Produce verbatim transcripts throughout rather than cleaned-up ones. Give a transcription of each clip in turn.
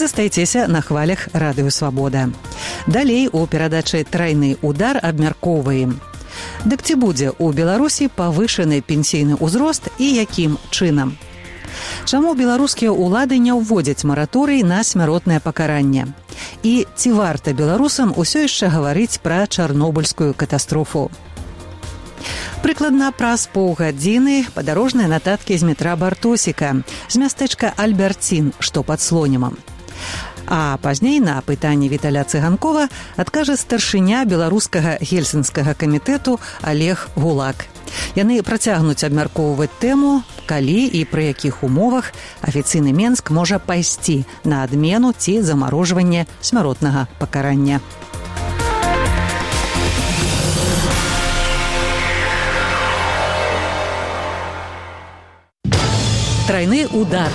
Застайцеся на хвалях Радыё Свабода. Далей у перадачы «Трайны удар» абмяркоўваем. Дык ці будзе ў Беларусі павышаны пенсійны ўзрост і якім чынам? Чаму беларускія ўлады не ўводзяць мараторый на смяротнае пакаранне? І ці варта беларусам усё яшчэ гаварыць пра чарнобыльскую катастрофу? Прыкладна праз паўгадзіны падарожныя нататкі з метра Бартосіка з мястэчка Альберцін, што пад Слонімам. А пазней на пытанне Віталя Цыганкова адкажа старшыня беларускага гельсінскага камітэту Олег Гулак. Яны працягнуць абмяркоўваць тэму, калі і пры якіх умовах афіцыйны Менск можа пайсці на адмену ці замарожванне смяротнага пакарання. Трайны удар.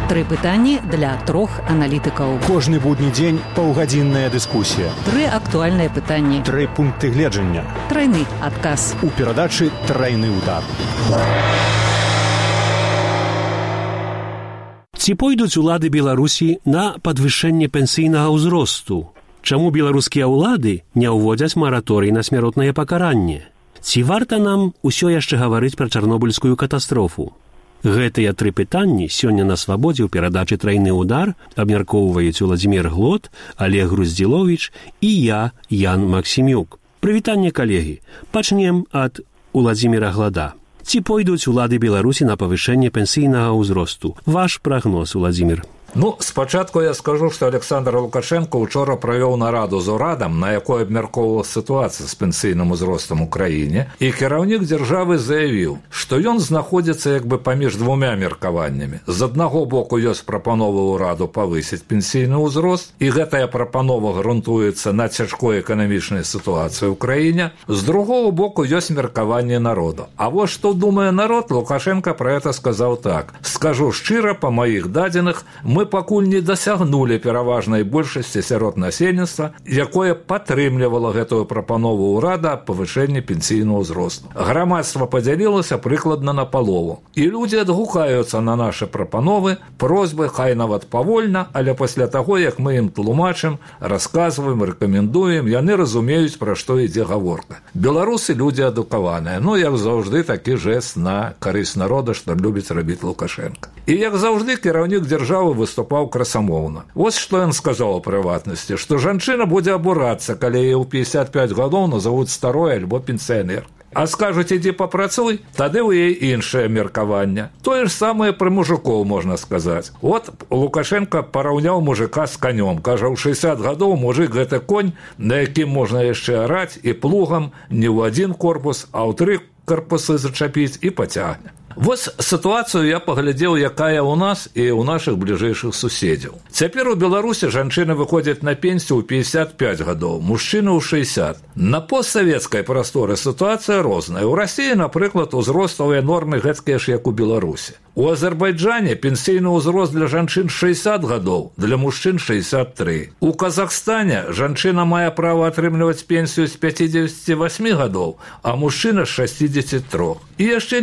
Тры пытанні для трох аналітыкаў. Кожны будні дзень паўгадзінная дыскусія. Тры актуальныя пытанні. Тры пункты гледжання. Трайны адказ. У перадачы «Трайны удар». Ці пойдуць улады Беларусі на падвышэнне пенсійнага ўзросту? Чаму беларускія ўлады не ўводзяць мараторый на смяротнае пакаранне? Ці варта нам усё яшчэ гаварыць пра чарнобыльскую катастрофу? Гэтыя тры пытанні сёння на Свабодзе ў перадачы «Трайны удар» абмяркоўваюць Уладзімір Глот, Олег Груздзіловіч і я, Ян Максімюк. Прывітанне, калегі. Пачнем ад Уладзіміра Глада. Ці пойдуць улады Беларусі на павышэнне пенсійнага ўзросту? Ваш прагноз, Уладзімір. Ну, спачатку я скажу, што Александр Лукашенко учора правёў нараду з урадам, на якой абмяркоўвала сітуацыя з пенсійным узростам у краіне, і кіраўнік дзяржавы заявіў, што ён знаходзіцца як бы паміж двумя меркаваннямі. З аднаго боку ёсць прапанова ўраду павысіць пенсійны ўзрост, і гэтая прапанова грунтуецца на цяжкой эканамічнай сітуацыі ў краіне. З другого боку ёсць меркаванне народу. А вось што думае народ, Лукашенко пра гэта сказаў так: «Скажу шчыра, па маіх дадзеных, мы пакуль не дасягнулі пераважнай большасці сярод насельніцтва, якое падтрымлівала гэтую прапанову ўрада аб павышэнні пенсійнага ўзросту. Грамадства падзялілася прыкладна на палову. І людзі адгукаюцца на нашы прапановы, просьбы, хай нават павольна, але пасля таго, як мы ім тлумачым, расказваем, рэкамендуем, яны разумеюць, пра што ідзе гаворка. Беларусы людзі адукаваныя, ну, як заўжды, такі жэст на карысць народа, што любіць рабіць Лукашенко. І як заўжды, кіраўнік дзяржавы выступаў красамоўна. Вось што ён сказаў у прыватнасці, што жанчына будзе абурацца, калі яе ў пятьдесят пять гадоў назовуць старой альбо пенсіянер. А скажуць, ідзі папрацуй, тады ў яе іншае меркаванне. Тое ж самае пры мужикоў можна сказаць. От Лукашенко параўняў мужика з канём. Кажа, ў шэсцьдзесят гадоў мужик гэта конь, на якім можна яшчэ араць і плугам не ў адзін корпус, а ў тры корпусы зачапіць і пацягне. Вось сітуацыю я паглядзеў, якая ў нас і ў нашых бліжэйшых суседзяў. Цяпер у Беларусі жанчыны выходзяць на пенсію ў пятьдесят пять гадоў, мужчыны ў шэсцьдесят. На постсавецкай прасторы сітуацыя розная. У Расіі, напрыклад, узроставыя нормы гэткія ж, як у Беларусі. У Азербайджане пенсійны ўзрост для жанчын шэсцьдесят гадоў, для мужчын шэсцьдесят три. У Казахстане жанчына мае права атрымліваць пенсію з пятидесяти восьми гадоў, а мужчына з шестидесяти трёх. І яшчэ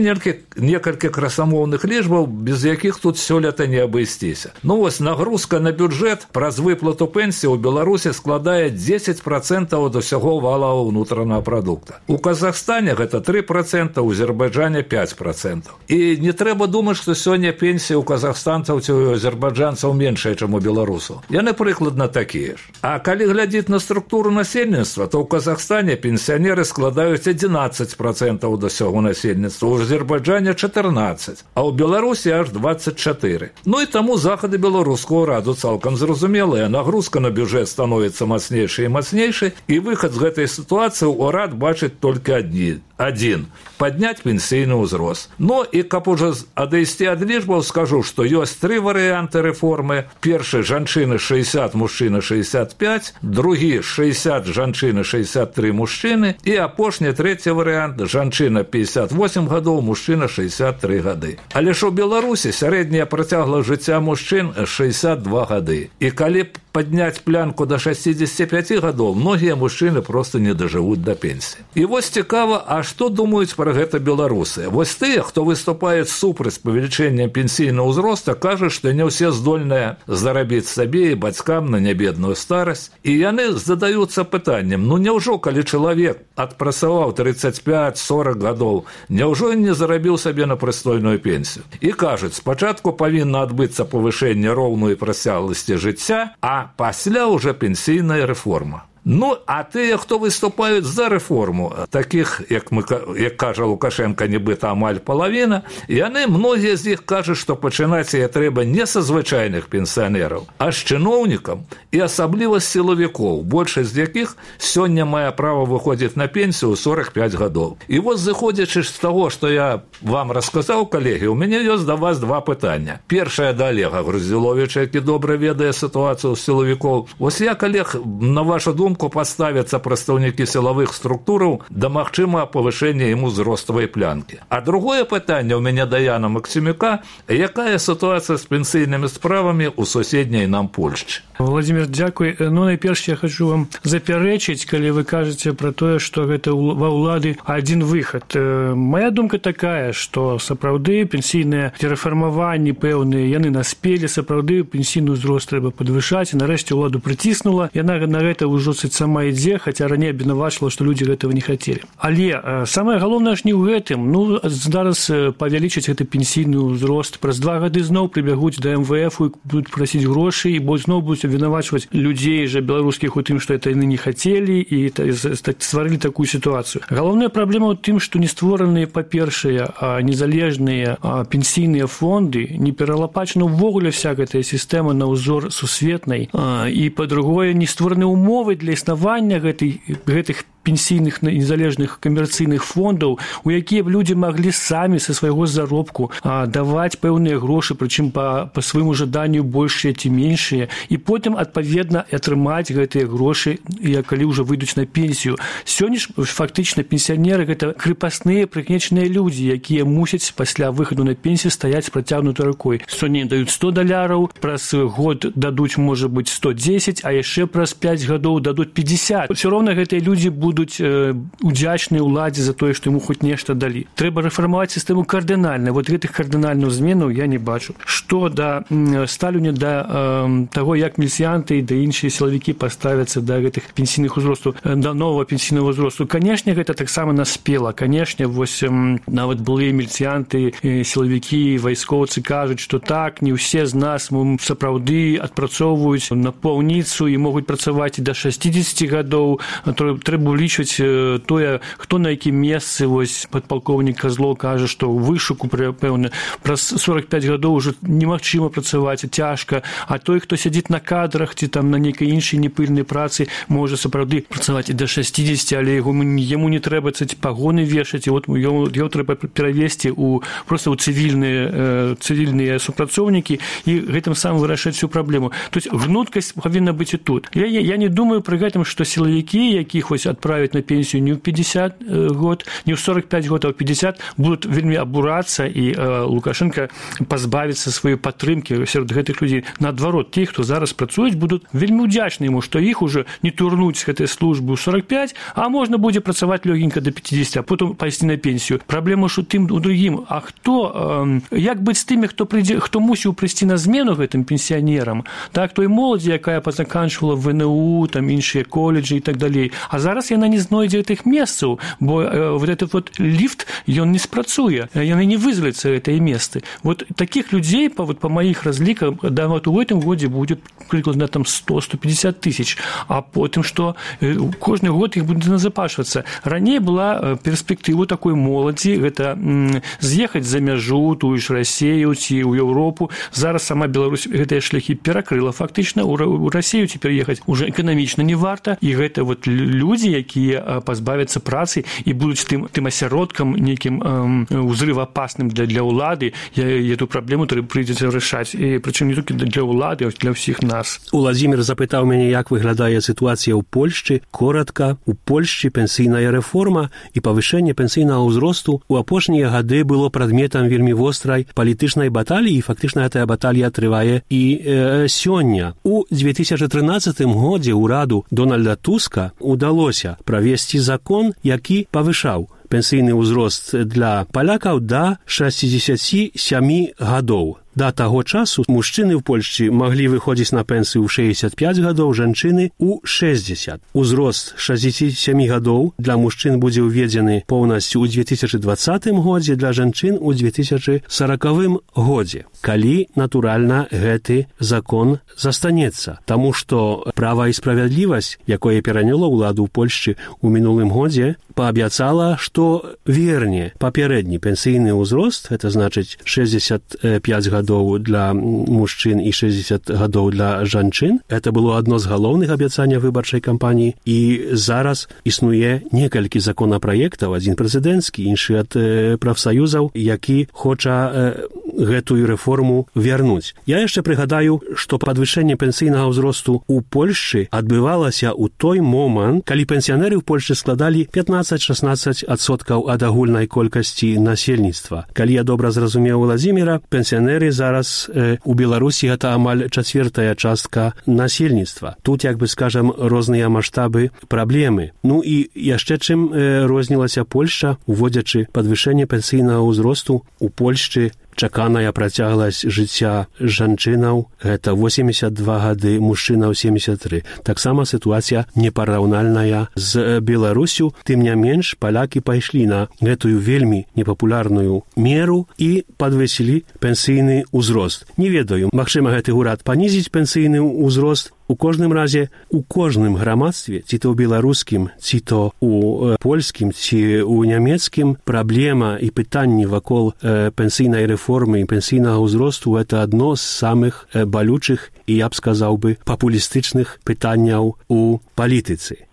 некалькі красамоўных лічбаў, без якіх тут сёлета не абысціся. Ну вось нагрузка на бюджэт праз выплату пенсіі ў Беларусі складае дзесяць процентаў ад усяго валавага ўнутранага прадукта. У Казахстане гэта тры проценты, у Азербайджане пять процентаў. І не трэба думаць, што сёння пенсія ў казахстанцаў ці ў азербайджанцаў меншая, чым у беларусаў. Яны прыкладна такія ж. А калі глядзець на структуру насельніцтва, то ў Казахстане пенсіянеры складаюць адзінаццаць процентаў да ўсяго насельніцтва, у Азербайджане чатырнаццаць, а ў Беларусі аж двадцать четыре. Ну і таму захады беларускага ўраду цалкам зразумелыя. Нагрузка на бюджэт становіцца мацнейшай і мацнейшай, і выхад з гэтай сітуацыі ўрад бачыць толькі адні. Один. Поднять пенсійны ўзрост. Ну і каб ужо адысці ад лічбаў, скажу, што ёсць тры варыянты рэформы. Першы жанчыны шэсцьдесят, мужчыны шэсцьдесят пять, другі шэсцьдесят, жанчыны шэсцьдесят три мужчыны, і апошні трэці варыянт жанчына пятьдесят восемь гадоў, мужчына шэсцьдесят три гады. Але ж у Беларусі сярэдняя працягласць жыцця мужчын шэсцьдесят два гады. І калі падняць планку да шестидесяти пяти гадоў, многія мужчыны просто не дажывуць да пенсіі. І вось цікава, а што думаюць пра гэта беларусы? Вось тыя, хто выступаюць супраць павелічэння пенсійнага ўзроста, кажуць, што не ўсе здольныя зарабіць сабе і бацькам на нябедную старасць. І яны задаюцца пытаннем, ну няўжо, калі чалавек адпрацаваў тридцать пять сорок гадоў, няўжо ён не зарабіў сабе на прыстойную пенсію? І кажуць, спачатку павінна адбыцца павышэнне роўнай працягласці жыцця, а пасля ўжо пенсійная рэформа. Ну, а тыя, хто выступаюць за рэформу, такіх, як, мы, як кажа Лукашенко, нібыта амаль палавіна, яны, многія з іх кажуць, што пачынаць яе трэба не са звычайных пенсіянераў, а з чыноўнікам і асабліва з сілавікоў, большасць з якіх сёння мае права выходзіць на пенсію ў сорок пять гадоў. І вось, зыходзячы з таго, што я вам расказаў, калегі, у мяне ёсць да вас два пытання. Першае да Олега Груздзіловіча, які добра ведае сітуацыю з сілавікоў. Вось я, калег, на вашу думку, поставятся прадстаўнікі сілавых структураў да магчыма павышэння ім узроставай планкі. А другое пытанне ў мяне да Яна Максімюка, якая сітуацыя з пенсійнымі справамі ў суседняй нам Польшчы? Владимир, дзякуй. Ну, найперш я хочу вам запярэчыць, калі вы кажаце пра тое, што гэта ва ўлады адзін выхад. Моя думка такая, што сапраўды пенсійныя рэфармаванні пэўныя, яны наспелі, сапраўды пенсійны ўзрост трэба падвышаць, і нарэшце ўладу прыціснула, яна на гэта ўжо сама ідзе, хаця раней абвінавачвала, што людзі гэтага не хацелі. Але самае галоўнае ж не ў гэтым. Ну, зараз павялічыць гэты пенсійны ўзрост. Праз два гады зноў прыбягуць да эм вэ эф і будуць прасіць грошы, і зноў будуць абвінавачваць людзей жа беларускіх у тым, што это яны не хацелі, і стварылі такую сітуацыю. Галоўная праблема ў тым, што не створаныя, па-першае, незалежныя пенсійныя фонды, не пералапачана ўвогуле вся гэтая сістэма на ўзор сусветнай, і, па-другое, не створаны ўмовы для існавання гэтай, гэтых пенсійных незалежных камерцыйных фондаў, у якія б людзі маглі самі са свайго заробку а, даваць пэўныя грошы, прычым па, па свайму жаданню большыя ці меншыя, і потым, адпаведна, атрымаць гэтыя грошы, калі ўжо выйдуць на пенсію. Сёння ж фактычна пенсіянеры гэта крыпасныя прыкнечаныя людзі, якія мусяць пасля выхаду на пенсію стаяць працягнутай рукой. Сёння даюць сто даляраў, праз год дадуць, можа быць, сто дзесяць, а яшчэ праз пяць гадоў дадуць пятьдесят. Усё роўна гэтыя людзі будуць будуць удзячныя ўладзе за тое, што яму хоць нешта далі. Трэба рэфармаваць сістэму кардынальна. Вот гэтых кардынальных зменаў я не бачу. Што да сталюня да э, таго, як міліцыянты і да іншыя сілавікі паставяцца да гэтых пенсійных узростаў, да новага пенсійнага ўзросту. Канешне, гэта таксама наспела. Канешне, вось э, нават былыя міліцыянты, э, сілавікі, вайскоўцы кажуць, што так, не ўсе з нас сапраўды адпрацоўваюць на паўніцу і могуць працаваць і да шестидесяти гадоў. Трэба улічваць тое, хто на якім месцы. Вось падпалкоўнік Казлоў кажа, што ў вышуку, пэўна, праз сорок пять гадоў ўжо немагчыма працаваць, цяжка, а той, хто сядзіць на кадрах ці там на нейкай іншай непыльнай працы, можа сапраўды працаваць і да шестидесяти, але яму, яму не трэба пагоны вешаць, і от его трэба перавесці ў проста ў цывільныя, цывільныя супрацоўнікі і гэтым самым вырашаць всю праблему. То есть гнуткасць павінна быць і тут. Я, я, я не думаю пры гэтым, што сілавікі, якіх вось адправяць на пенсію не ў пятьдесят год, не ў сорок пять год, а ў пятьдесят, будуць вельмі абурацца, і э, Лукашенко пазбавіцца сваёй падтрымкі сярод гэтых людзей. Наадварот, ті, хто зараз працуюць, будуць вельмі ўдзячны яму, што іх уже не турнуць з гэтай службы ў сорок пять, а можна будзе працаваць лёгенька до пятидесяти, а потым пайсці на пенсію. Праблема ж у тым, у другім. А хто, э, як быць з тымі, хто прыйдзе, хто мусіў прыйсці на змену гэтым пенсіянерам, так, той моладзі, якая пазаканчвала вэ эн у, там іншыя колледжы і так далей. А зараз яна не знойдзе гэтых месцаў, бо э, вот этот вот ліфт, ён не спрацуе, яны не вызваляцца гэтыя месцы. Вот таких людзей, по, вот, по маіх разлікам, да, вот у гэтым годзе будзе прыкладна там сто — сто пятьдесят тысяч, а потым, што э, кожны год іх будзе назапашвацца. Раней была э, перспектыва такой моладзі, гэта м, з'ехаць за мяжу, тую ж Расею ці ў Еўропу. Зараз сама Беларусь гэтыя шляхі перакрыла фактычна. У, у Расею цяпер ехаць уже эканамічна не варта, і гэта вот людзі, якія пазбавяцца працы і будуць тым, тым асяродкам нейкім узрываапасным для, для ўлады, эту праблему прыйдзецца вырашаць. І прычым не толькі для ўлады, а для ўсіх нас. Уладзімір запытаў мяне, як выглядае сітуацыя ў Польшчы. Коратка, у Польшчы пенсійная рэформа і павышэнне пенсійнага ўзросту ў апошнія гады было прадметам вельмі вострай палітычнай баталіі, і фактычна гэтая баталія трывае і э, сёння. У две тысячи тринадцатым годзе ўраду Дональда Туска удалося правесці закон, які павышаў пенсійны ўзрост для палякаў да шэсцідзесяці сямі гадоў. Да таго часу мужчыны ў Польшчы маглі выходзіць на пенсію ў шэсцьдзесят пяць гадоў, жанчыны ў шэсцьдзесят. Узрост шэсцідзесяці сямі гадоў для мужчын будзе ўведзены поўнасцю ў две тысячи двадцатым годзе, для жанчын у две тысячи сорокавым годзе. Калі, натуральна, гэты закон застанецца. Таму што права і справядлівасць, якое пераняло ўладу ў Польшчы ў мінулым годзе, паабяцала, што верне папярэдні пенсійны ўзрост, гэта значыць шэсцьдесят пяць гадоў для мужчын і шэсцьдесят гадоў для жанчын. Это было адно з галоўных абяцанняў выбарчай кампаніі. І зараз існуе некалькі законапраектаў, адзін прэзідэнцкі, іншы ад э, прафсаюзаў, які хоча э, гэтую рэформу вярнуць. Я яшчэ прыгадаю, што падвышэнне пенсійнага ўзросту ў Польшчы адбывалася ў той момант, калі пенсіянеры ў Польшчы складалі пятнаццаць-шаснаццаць адсоткаў ад агульнай колькасці насельніцтва. Калі я добра зразумеў Уладзіміра, пенсіянеры зараз э, у Беларусі гэта амаль чацвертая частка насельніцтва. Тут, як бы скажам, розныя маштабы праблемы. Ну і яшчэ чым э, рознілася Польшча, уводзячы падвышэнне пенсійнага ўзросту у Польшчы, чаканая працягласць жыцця жанчынаў – гэта восемьдесят два гады, мужчынаў семьдесят три. Таксама сітуацыя непараўнальная з Беларусю. Тым не менш, палякі пайшлі на гэтую вельмі непапулярную меру і падвысілі пенсійны ўзрост. Не ведаю, магчыма, гэты ўрад панізіць пенсійны ўзрост. У кожным разе, у кожным грамадстве, ці то ў беларускім, ці то ў польскім, ці ў нямецкім, праблема і пытанні вакол э, пенсійнай рэформы і пенсійнага ўзросту – гэта адно з самых э, балючых і, я б сказаў бы, папулістычных пытанняў у палітыцы.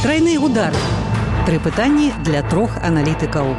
Трайны удар. Тры пытанні для трох аналітыкаў.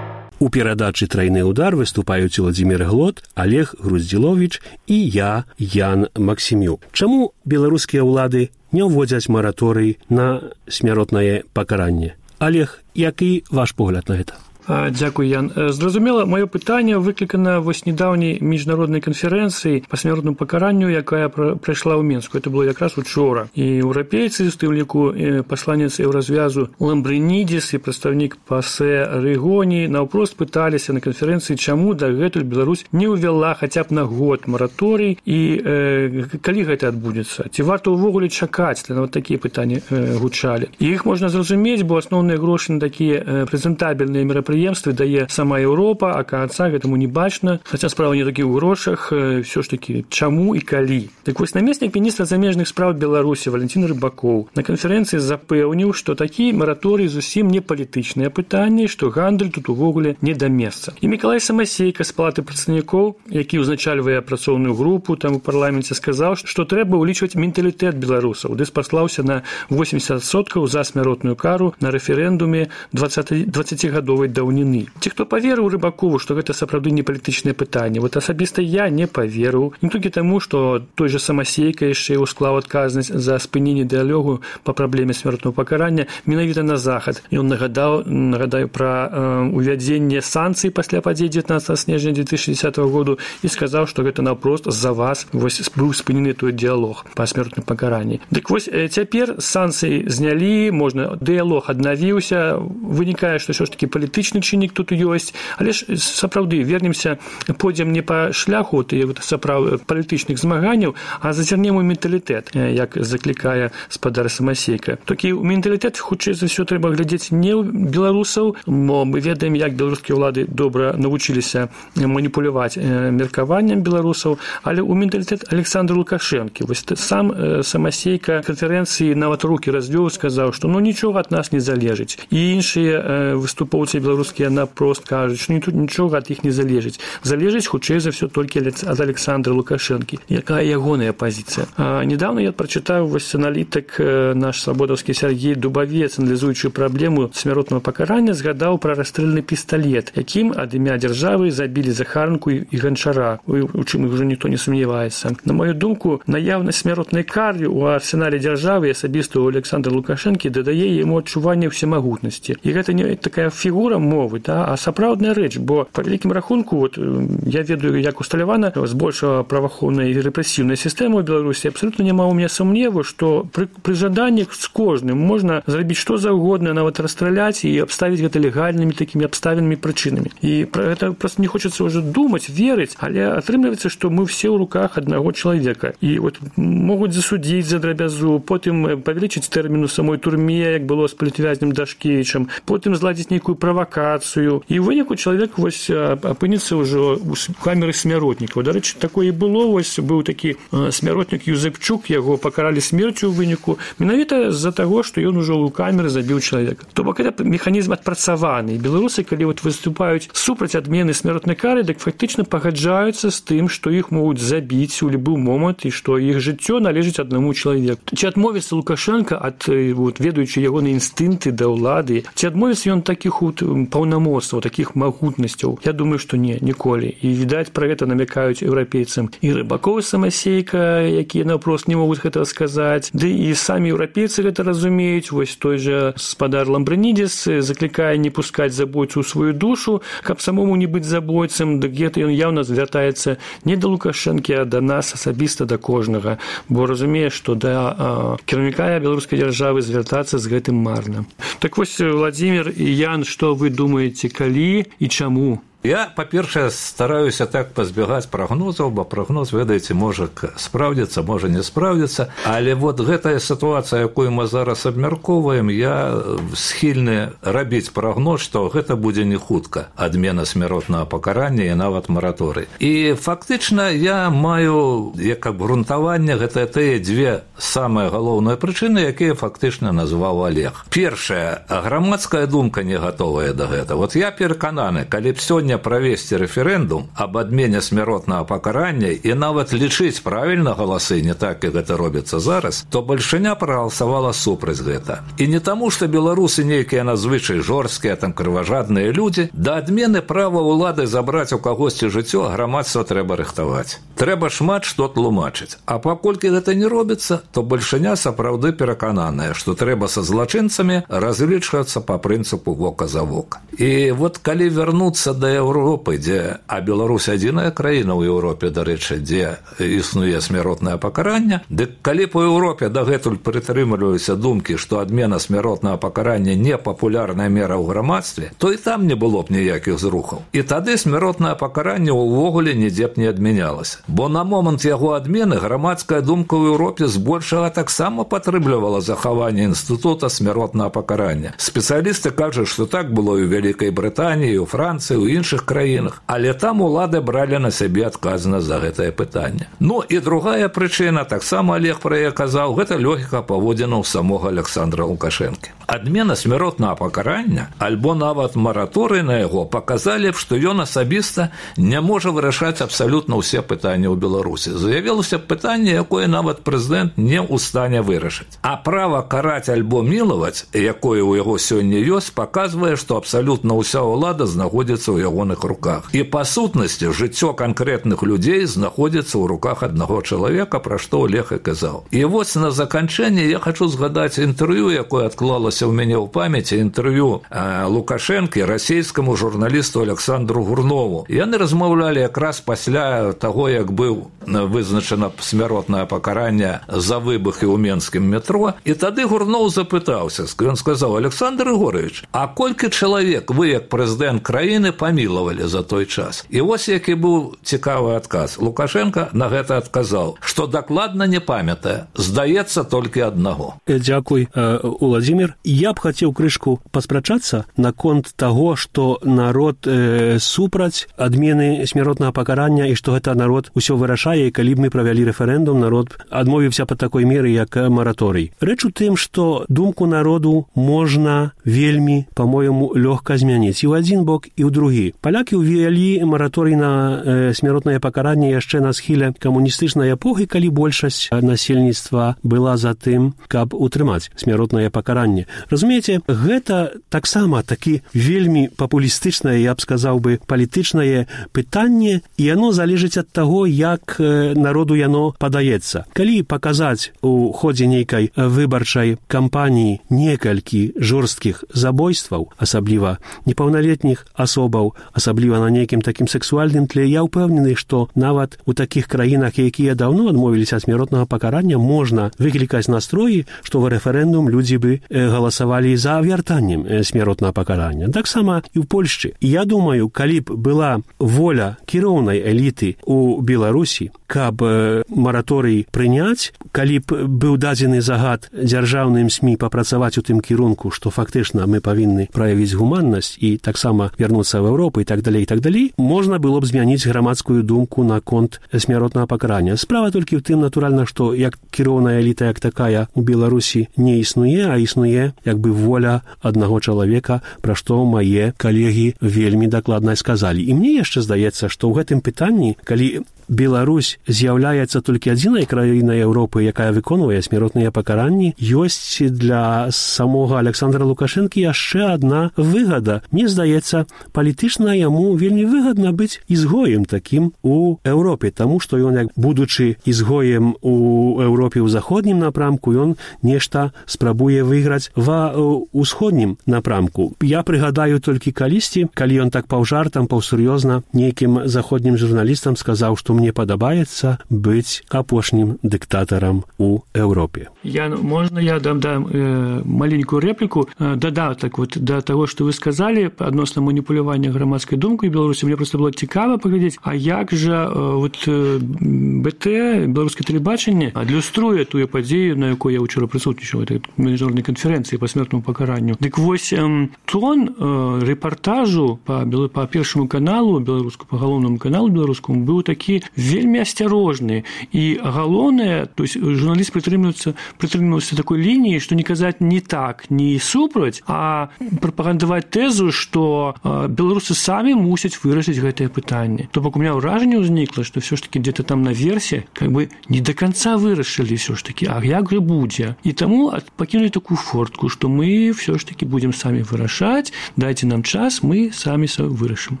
У перадачы «Трайны удар» выступаюць Уладзімір Глот, Олег Груздзіловіч і я, Ян Максімюк. Чаму беларускія ўлады не ўводзяць мараторый на смяротнае пакаранне? Олег, які ваш погляд на гэта? Дзякуй, Ян. Зразумела, маё пытанне выклікана вось нядаўняй міжнароднай канферэнцыі па смяротнаму пакаранню, якая прайшла ў Мінску. Это было якраз учора. І еўрапейцы, з тым ліку пасланец еўразвязу Ламбрынідзіс і прадстаўнік ПАСЕ Рыгоні наўпрост пыталіся на канферэнцыі, чаму дагэтуль Беларусь не ўвяла хаця б на год мараторый і э, калі гэта адбудзецца. Ці варта ўвогуле чакаць, нават такія пытанні э, гучалі. І іх можна зразумець, бо асноўныя грошы на такія э, прэзентабельныя мерапрыемствы дае сама Еўропа, а канца гэтаму не бачна. Хаця справа не такі ў грошах, ўсё ж такі чаму і калі. Так вось намеснік міністра замежных спраў Беларусі Валентин Рыбакоў на канферэнцыі запэўніў, што такі мараторый зусім не палітычныя пытанні, што гандаль тут увогуле не да месца. І Мікалай Самасейка з палаты прадстаўнікоў, які ўзначальвае працоўную групу там у парламенце, сказаў, што трэба ўлічваць менталітэт беларусаў, ды спаслаўся на восемьдесят адсоткаў за смяротную кару на рэферэндуме дваццацігадовай даўніны. Ці хто паверыў Рыбакову, што гэта сапраўды не палітычнае пытанне? Вот асабіста я не паверыў. Не толькі таму, што той жа Самасейка яшчэ ўсклаў адказнасць за спыненне дыялогу па праблеме смяротнага пакарання менавіта на захад. Ён нагадаў, нагадаю пра э, увядзенне санкцый пасля падзей дзевятнаццатага снежня две тысячи десятого году і сказаў, што гэта наўпрост з-за вас вось быў спынены той дыялог па смяротным пакаранні. Дык вось э, цяпер санкцыі знялі, можна дыялог аднавіўся, вынікае, што ўсё ж такі палітычны чыннік тут ёсць, але ж сапраўды вернемся, пойдзем не па шляху сапраўды палітычных змаганняў, а зазірнем у менталітэт, як заклікае спадар Самасейка. Такі менталітэт хутчэй за ўсё трэба глядзець не ў беларусаў, бо мы ведаем, як беларускія ўлады добра навучыліся маніпуляваць меркаваннем беларусаў, але ў менталітэт Александра Лукашэнкі. Вось сам Самасейка канферэнцыі нават рукі развёў, сказаў, што ну нічога ад нас не залежыць. І іншыя выступоўцы беларускіх беларускія напрост кажуць, што тут нічога ад іх не залежыць. Залежыць, хутчэй за ўсё, толькі ад Александра Лукашэнкі. Якая ягоная пазіцыя? А, недавно я прачытаў вось аналітык наш свабодаўскі Сергей Дубавец, аналізуючы праблему смяротнага пакарання, згадаў пра расстрэльны пісталет, якім ад імя дзяржавы забілі Захарынку і Ганчара, у чым ўжо ніхто не сумняваецца. На мою думку, наяўнасць смяротнай кары ў арсенале дзяржавы асабіста ў Александра Лукашэнкі дадае яму адчуванне ўсемагутнасці. І гэта не такая фігура мовы, да, а сапраўдная рэч, бо па вялікім рахунку, вот, я ведаю, як усталявана збольшага праваахоўная і рэпрэсіўная сістэма ў Беларусі, абсалютна няма ў мяне сумневу, што пры, пры жаданнях з кожным можна зрабіць што заўгодна, нават расстраляць і абставіць гэта легальнымі такімі абставінамі прычынамі. І пра гэта проста не хочацца ўжо думаць, верыць, але атрымліваецца, што мы все ў руках аднаго чалавека. І вот могуць засудзіць за драбязу, потым павялічыць тэрміну самой турме, як было з палітвязнем Дашкевічам, потым зладзіць нейкую правакацыю. І ў выніку чалавек вось апынецца ўжо ў камеры смяротнікаў. Дарэчы, такое і было, вось быў такі смяротнік Юзэпчук, яго пакаралі смерцю ў выніку, менавіта з-за таго, што ён ужо ў камеры забіў чалавека. То бок гэта механізм адпрацаваны. І беларусы, калі вот выступаюць супраць адмены смяротнай кары, дык фактычна пагаджаюцца з тым, што іх могуць забіць у любы момант і што іх жыццё належыць аднаму чалавеку. Ці адмовіцца Лукашенко ад, вот, ведаючы ягоныя інстынкты да ўлады, ці адмовіцца ён такіх вот паўнамоцтваў, такіх магутнасцяў? Я думаю, што не, ніколі. І, відаць, пра гэта намякаюць еўрапейцам і Рыбакоў, Самасейка, якія наўпрост не могуць гэтага сказаць. Ды і самі еўрапейцы гэта разумеюць. Вось той жа спадар Ламбрынідзес заклікае не пускаць забойцу ў сваю душу, каб самому не быць забойцам, дык гэта ён яўна звяртаецца не да Лукашэнкі, а да нас асабіста, да кожнага, бо разумее, што да а, кіраўніка беларускай дзяржавы звяртацца з гэтым марна. Так вось, Владзімір і Ян, што вы думаеце, калі і чаму? Я, па-першае, стараюся так пазбягаць прагнозаў, бо прагноз, ведаеце, можа спраўдзіцца, можа не спраўдзіцца, але вот гэтая сітуацыя, якую мы зараз абмяркоўваем, я схільны рабіць прагноз, што гэта будзе не хутка адмена смяротнага пакарання і нават мараторый. І фактычна я маю як абгрунтаванне гэта тыя дзве самыя галоўныя прычыны, якія фактычна назваў Олег. Першая, грамадская думка не гатовая да гэта. Вот я перакананы, калі б сёння правесці рэферэндум аб адмене смяротнага пакарання і нават лічыць правільна галасы, не так, як гэта робіцца зараз, то бальшыня прагаласавала супраць гэта. І не таму, што беларусы нейкія надзвычай жорсткія, там крыважадныя людзі, да адмены права ўлады забраць у кагосьці жыццё грамадства трэба рыхтаваць. Трэба шмат што тлумачыць. А паколькі гэта не робіцца, то бальшыня сапраўды перакананая, што трэба са злачынцамі разлічвацца па прынцыпу вока за вока. І вот калі вярнуцца да Еўропы, дзе, а Беларусь адзіная краіна ў Еўропе, дарэчы, дзе існуе смяротнае пакаранне, дык калі па Еўропе дагэтуль прытрымліваюцца думкі, што адмена смяротнага пакарання не папулярная мера ў грамадстве, то і там не было б ніякіх зрухаў. І тады смяротнае пакаранне ўвогуле нідзе б не адмянялася. Бо на момант яго адмены грамадская думка ў Еўропе збольшага таксама падтрымлівала захаванне інстытута смяротнага пакарання. Спецыялісты кажуць, што так было і ў Вялікай Брытаніі, у Францыі, у іншых краінах, але там улады бралі на сябе адказнасць за гэтае пытанне. Ну і другая прычына, таксама Олег пра яе казаў, гэта логіка паводзінаў самога Александра Лукашэнкі. Адмена смяротнага пакарання альбо нават мараторый на яго паказалі б, што ён асабіста не можа вырашаць абсалютна ўсе пытанні ў Беларусі. Заявілася б пытанне, якое нават прэзідэнт не ў стане вырашыць. А права караць альбо мілаваць, якое ў яго сёння ёсць, паказвае, што абсалютна ўся ўлада знаходзіцца ў ягоных руках. І па сутнасці жыццё канкрэтных людзей знаходзіцца ў руках аднаго чалавека, пра што Олег і казаў. І вось на заканчэнне я хачу згадаць інтэрв'ю, якое адклалася ў мяне ў памяці, інтэрв'ю Лукашэнкі расійскаму журналісту Александру Гурнову. Яны размаўлялі якраз пасля таго, як быў вызначана смяротнае пакаранне за выбухі ў менскім метро, і тады Гурноў запытаўся, ён сказаў: Александр Ігорович, а колькі чалавек вы, як прэзідэнт краіны, памілуеце? насілавалі за той час. І вось які быў цікавы адказ. Лукашенко на гэта адказаў, што дакладна не памятае, здаецца толькі аднаго. Дзякуй, Уладзімір. Я б хацеў крышку паспрачацца наконт таго, што народ э, супраць адмены смяротнага пакарання і што гэта народ усё вырашае, і калі б мы правялі рэферэндум, народ адмовіўся па такой меры, як мараторый. Рэч у тым, што думку народу можна вельмі, па-мойму, лёгка змяніць і ў адзін бок, і ў другі. Палякі ўвялі мараторый на э, смяротнае пакаранне яшчэ на схіле камуністычнай эпохі, калі большасць насельніцтва была за тым, каб утрымаць смяротнае пакаранне. Разумееце, гэта таксама такі вельмі папулістычнае, я б сказаў бы, палітычнае пытанне, і яно залежыць ад таго, як народу яно падаецца. Калі паказаць у ходзе нейкай выбарчай кампаніі некалькі жорсткіх забойстваў, асабліва непаўналетніх асобаў, асабліва на нейкім такім сексуальным тле, я ўпэўнены, што нават у такіх краінах, якія даўно адмовіліся ад смяротнага пакарання, можна выклікаць настроі, што ў рэферэндум людзі бы галасавалі за вяртаннем смяротнага пакарання. Таксама і ў Польшчы. Я думаю, калі б была воля кіроўнай эліты у Беларусі, каб мараторый прыняць, калі б быў дадзены загад дзяржаўным СМІ папрацаваць у тым кірунку, што фактычна мы павінны праявіць гуманнасць і таксама вярнуцца ў Еўропу і так далей, і так далей, можна было б змяніць грамадскую думку наконт смяротнага пакарання. Справа толькі ў тым, натуральна, што як кіроўная эліта як такая у Беларусі не існуе, а існуе як бы воля аднаго чалавека, пра што мае калегі вельмі дакладна сказалі. І мне яшчэ здаецца, што ў гэтым пытанні, калі Беларусь з'яўляецца толькі адзінай краінай Еўропы, якая выконвае смяротныя пакаранні, ёсць для самога Александра Лукашэнкі яшчэ адна выгада. Мне здаецца, палітычна яму вельмі выгадна быць ізгоем такім у Еўропе, таму што ён, як будучы ізгоем у Еўропе ў заходнім напрамку, ён нешта спрабуе выйграць ва ўсходнім напрамку. Я прыгадаю толькі калісьці, калі ён так паўжартам, паўсур'ёзна нейкім заходнім журналістам сказаў, што мне падабаецца быць апошнім дыктатарам у Еўропе. Я, можна я дам, дам э, маленькую рэпліку, э, дадатак вот да таго, што вы сказалі адносна маніпулявання грамадскай думкай Беларусі. Мне проста было цікава паглядзець, а як жа э, вот э, БТ, беларускае тэлебачанне, адлюструе тую падзею, на якой я ўчора прысутнічаў, этой міжнароднай канферэнцыі па смертнаму пакаранню. Дык вось э, тон э, рэпартажу па, па першаму каналу, беларуску, па галоўнаму каналу беларускаму быў такі вельмі асцярожны. І галоўнае, то есть журналіст прытрымліваецца, прытрымліваўся такой лініі, што не казаць не так, не супраць, а прапагандаваць тэзу, што э, беларусы самі мусяць вырашыць гэтае пытанне. То бок у меня ўражанне ўзнікла, што все ж таки где-то там наверсе как бы не до конца вырашылі все ж таки, а як же будзе. І таму пакінулі такую фортку, што мы все ж таки будем самі вырашаць, дайце нам час, мы самі вырашым.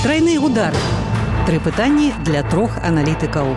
Тройны удар. Тры пытанні для трох аналітыкаў.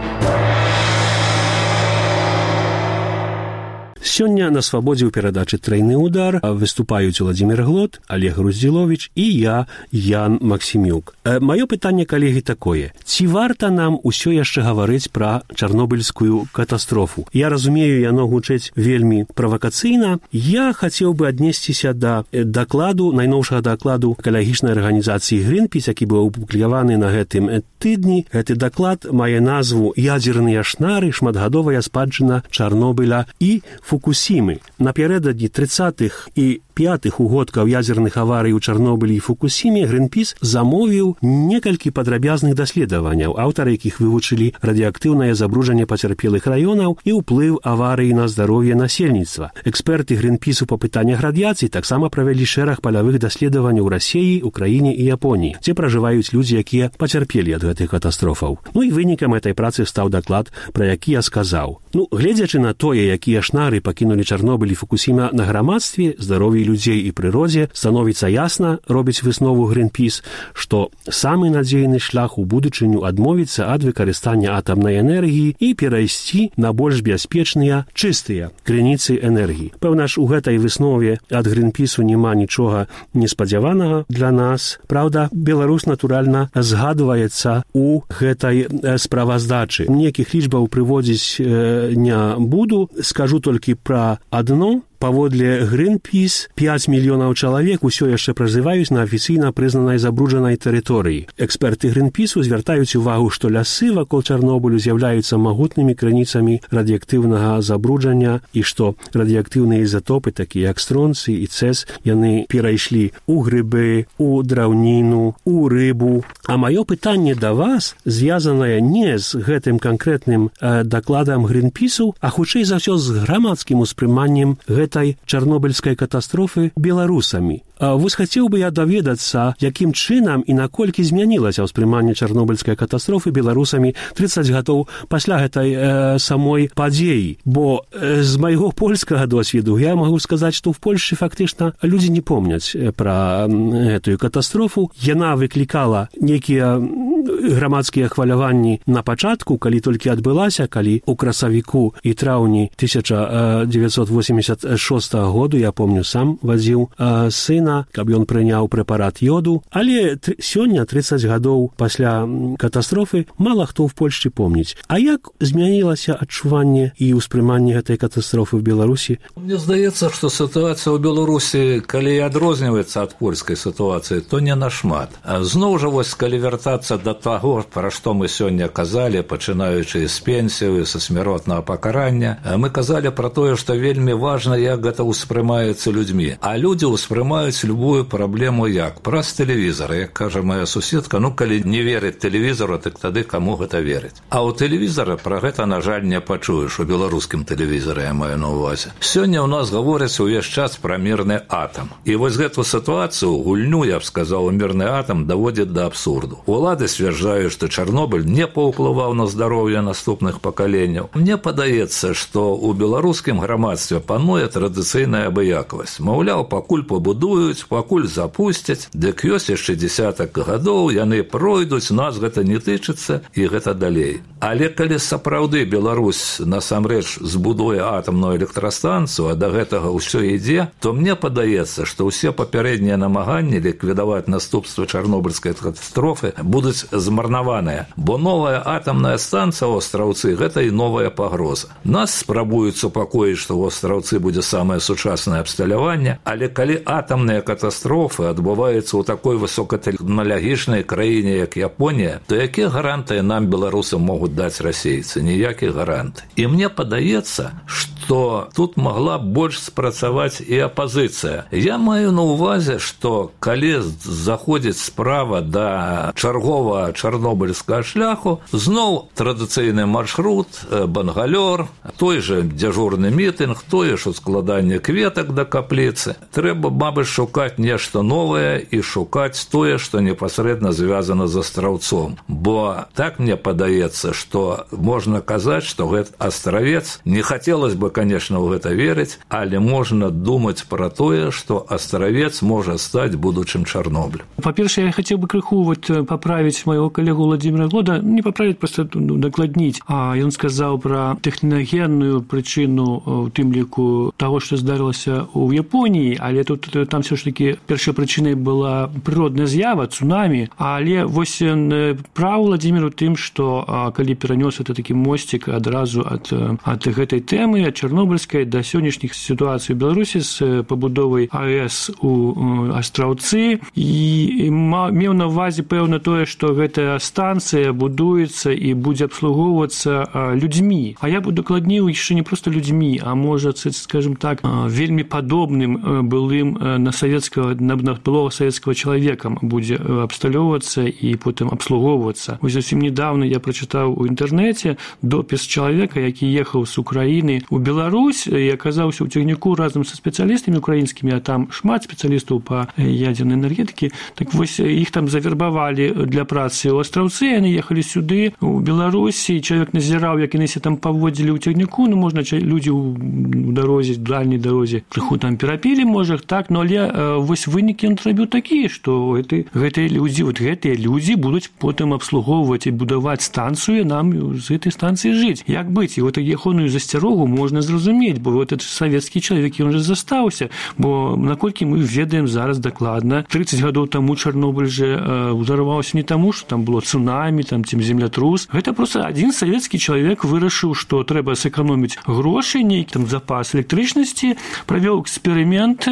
Сёння на свабодзе ў перадачы «Тройны удар» выступаюць Уладзімір Глот, Олег Груздзіловіч і я, Ян Максімюк. Э, маё пытанне, калегі, такое. Ці варта нам усё яшчэ гаварыць пра чарнобыльскую катастрофу? Я разумею, яно гучыць вельмі правакацыйна. Я хацеў бы аднесціся да дакладу, найноўшага дакладу экалагічнай арганізацыі «Гринпіс», які быў апублікаваны на гэтым тыдні. Гэты даклад мае назву «Ядзерныя шнары. Шматгадовая спадчына Чарнобыля і Фукусімы». Напярэдадні трыццатых і пятых угодкаў ядзерных аварый у Чарнобылі і Фукусіме Гринпіс замовіў некалькі падрабязных даследаванняў, аўтары якіх вывучылі радыеактыўнае забруджанне пацярпелых раёнаў і ўплыў аварыі на здароўе насельніцтва. Эксперты Гринпісу па пытаннях радыяцыі таксама правялі шэраг палявых даследаванняў у Расіі, Украіне і Японіі, дзе пражываюць людзі, якія пацярпелі ад гэтых катастрофаў. Ну і вынікам этой працы стаў даклад, пра які я сказаў. Ну, гледзячы на тое, якія шнары пакінулі Чарнобыль і Фукусіма на грамадстве, здароўі людзей і прыродзе, становіцца ясна, робіць выснову Гринпіс, што самы надзейны шлях у будучыню адмовіцца ад выкарыстання атамнай энергіі і перайсці на больш бяспечныя, чыстыя крыніцы энергіі. Пэўна ж, у гэтай выснове ад Гринпісу няма нічога неспадзяванага для нас. Праўда, Беларусь, натуральна, згадваецца у гэтай справаздачы. Некіх лічбаў прыводзіць э, не буду, скажу толькі пра адно. паводле Greenpeace пяць мільёнаў чалавек усё яшчэ пражываюць на афіцыйна прызнанай забруджанай тэрыторыі. Эксперты Greenpeace звяртаюць увагу, што лясы вакол Чарнобылю з'яўляюцца магутнымі крыніцамі радыеактыўнага забруджання і што радыеактыўныя ізатопы, такія як стронцый і цэс, яны перайшлі ў грыбы, у драўніну, у рыбу. А маё пытанне да вас звязанае не з гэтым канкрэтным э, дакладам Greenpeace, а хутчэй за ўсё з грамадскім успрыманнем гэтай чарнобыльскай катастрофы беларусамі. А вось хацеў бы я даведацца, якім чынам і наколькі змянілася ўспрыманне чарнобыльскай катастрофы беларусамі трыццаць гадоў пасля гэтай э, самой падзеі. Бо э, з майго польскага досведу я магу сказаць, што ў Польшчы фактычна людзі не помняць пра гэтую катастрофу. Яна выклікала нейкія грамадскія хваляванні на пачатку, калі толькі адбылася, калі ў красавіку і траўні тысяча дзевяцьсот восемьдесят шостага году, я помню, сам вазіў э, сына, каб ён прыняў прэпарат йоду, але тр... сёння, трыццаць гадоў пасля катастрофы, мала хто ў Польшчы помніць. А як змянілася адчуванне і ўспрыманне гэтай катастрофы в Беларусі? Мне здаецца, што сітуацыя ў Беларусі, калі і адрозніваецца ад польскай сітуацыі, то не нашмат. Зноў жа, вось, калі вяртацца да таго, пра што мы сёння казалі, пачынаючы з пенсію, са смяротнага пакарання, мы казалі пра тое, што вельмі важна, як гэта ўспрымаецца людзьмі. А людзі ўспрымаюць любую праблему як? Праз тэлевізор. Як кажа моя суседка, ну, калі не верыць тэлевізору, так тады каму гэта верыць? А ў тэлевізора пра гэта, на жаль, не пачуеш, у беларускім тэлевізоры, я маю на ўвазе. Сёння ў нас гаворыць увесь час пра мірны атам. І вось гэту сітуацыю, гульню, я б сказаў, мірны атам даводзіць да абсурду. Улады сцвярджаюць, што Чарнобыль не паўплываў на здароўе наступных пакаленняў. Мне падаецца, што ў беларускім грамадстве пануе традыцыйная абыякавасць. Маўляў, пакуль пабудуюць, пакуль запусцяць, дык ёсць яшчэ дзесятак гадоў, яны пройдуць, нас гэта не тычыцца і гэта далей. Але калі сапраўды Беларусь насамрэч збудуе атамную электрастанцыю, а да гэтага ўсё ідзе, то мне падаецца, што ўсе папярэднія намаганні ліквідаваць наступствы чарнобыльскай катастрофы будуць змарнаваныя, бо новая атамная станцыя ў Астраўцы – гэта і новая пагроза. Нас спрабуюць супакоіць, што ў Астраўцы будзе самае сучаснае абсталяванне, але калі атамныя катастрофы адбываюцца ў такой высокатэхналагічнай краіне, як Японія, то якія гарантыі нам, беларусам, могуць даць расейцы? Ніякіх гарантый. І мне падаецца, што тут магла больш спрацаваць і апазіцыя. Я маю на ўвазе, што калі заходзіць справа да чарговага чарнобыльскага шляху, зноў традыцыйны маршрут, бангалёр, той же дзяжурны мітынг, тое ж складанне кветак да капліцы. Трэба, мабыць, шукаць нешта новае і шукаць тое, што непасрэдна звязана з Астраўцом. Бо так мне падаецца, што можна казаць, што гэты Астравец, не хацелось бы, конечно, ў гэта верыць, але можна думаць пра тое, што Астравец можа стаць будучым Чарнобылем. Па-першае, я хацеў бы крыху вот паправіць майго калегу Владимира Глода, не паправіць, проста дакладніць. А ён сказаў пра тэхнагенную прычыну, у тым ліку таго, што здарылася ў Японіі, але тут там все ж таки першай прычынай была прыродная з'ява, цунамі, але вось прав Владимир у тым, што калі перанёс это такі мосцік адразу ад, ад гэтай тэмы, ад чарнобыльскай да сённяшніх сітуацый у Беларусі з пабудовай АЭС у Астраўцы, і меў на ўвазе пэўна тое, што гэтая станцыя будуецца і будзе абслугоўвацца людзьмі. А я б дакладніў яшчэ не проста людзьмі, а можа, скажем так, вельмі падобным былым на савецкага, на былога савецкага чалавека будзе абсталёўвацца і потым абслугоўвацца. Вось зусім недавно я прачытаў у інтэрнэце допіс чалавека, які ехаў з Украіны ў Беларусь і аказаўся ў цягніку разам са спецыялістамі украінскімі, а там шмат спецыялістаў па ядзернай энергетыкі. Так вось іх там завербавалі для працы ў Астраўцы, яны ехалі сюды, у Беларусі, чалавек назіраў, як яны се там паводзілі ў цягніку, ну, можна, людзі ў дарозе, ў дальняй дарозе крыху там перапілі, можа, так, но але вось вынікі ён зрабіў такія, што гэтыя людзі, вот гэтыя людзі будуць потым абслугоўваць і будаваць станцыю, нам з гэтай станцыі жыць. Як быць? І вот ягоную засцярогу можна складана зразумець, бо вот этот савецкі чалавек, ён же застаўся, бо наколькі мы ведаем зараз дакладна, тридцать гадоў таму Чарнобыль же ўзарваўся не таму, што там было цунамі, там ці землятрус. Гэта просто адзін савецкі чалавек вырашыў, што трэба сэканоміць грошы, нейкі там запас электрычнасці, правёў эксперымент,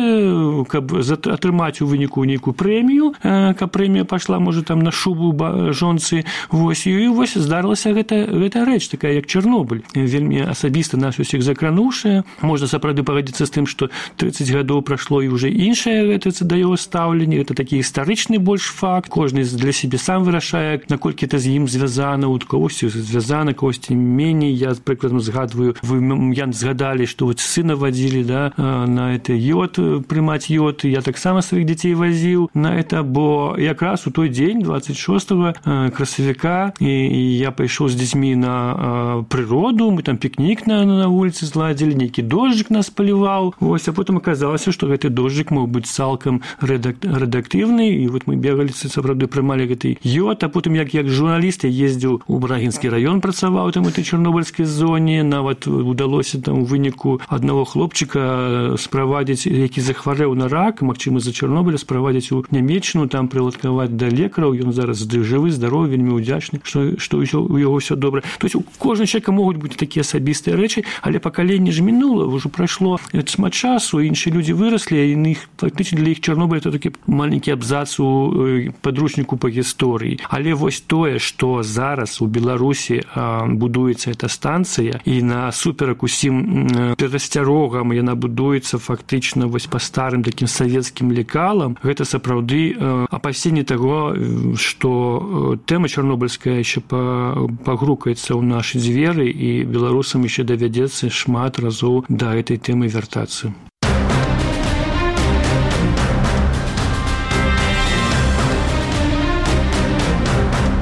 каб атрымаць у выніку нейкую прэмію, каб прэмія пайшла, можа, там на шубу жонцы. Вось, і вось здарылася гэта, гэта рэч, такая, як Чарнобыль. Вельмі асабіста нас усіх закрануўшая. Можна сапраўды пагадзіцца з тым, што тридцать гадоў прайшло і ўжо іншае гэта да яго стаўленне. Гэта такі гістарычны больш факт. Кожны для сябе сам вырашае, наколькі это з ім звязана, у кагосьці звязана, кагосьці меней. Я, прыкладам, згадваю, вы я згадалі, што вот сына вадзілі, да, на это йод, прымаць йод. Я таксама сваіх дзяцей вазіў на это, бо якраз у той дзень, двадцать шостого красавіка, і я пайшоў з дзецьмі на прыроду, мы там пікнік на, на вуліцы зладзілі, нейкі дожджык нас паліваў, вось, а потым аказалася, што гэты дожджык мог быць цалкам рэдак, рэдактыўны, і вот мы бегалі, сапраўды прымалі гэты йод, а потым, як, як журналіст, я ездзіў у Брагінскі раён, працаваў там у этой чарнобыльскай зоне, нават удалося там у выніку аднаго хлопчыка справадзіць, які захварэў на рак, магчыма, за Чарнобыля, справадзіць у Нямеччыну, там прыладкаваць да лекараў, ён зараз жывы, здаровы, вельмі ўдзячны, што, што у яго ўсё добра. То есть у кожнага чалавека могуць быць такія асабістыя рэчы, але пакаленне ж мінула, ўжо прайшло шмат часу, іншыя людзі выраслі, і іх, фактычна для іх Чарнобыль это такі маленькі абзац у падручніку па гісторыі. Але вось тое, што зараз у Беларусі будуецца эта станцыя, і насуперак усім перасцярогам яна будуецца фактычна вось па старым такім савецкім лекалам, гэта сапраўды апасенне таго, што тэма чарнобыльская яшчэ пагрукаецца ў нашы дзверы, і беларусам яшчэ давядзецца шмат разоў да гэтай тэмы вяртацца.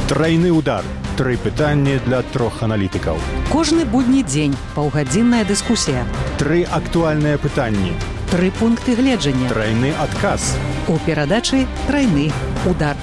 Трайны удар. Тры пытанні для трох аналітыкаў. Кожны будні дзень паўгадзінная дыскусія. Тры актуальныя пытанні. Тры пункты гледжання. Трайны адказ. У перадачы «Трайны удар».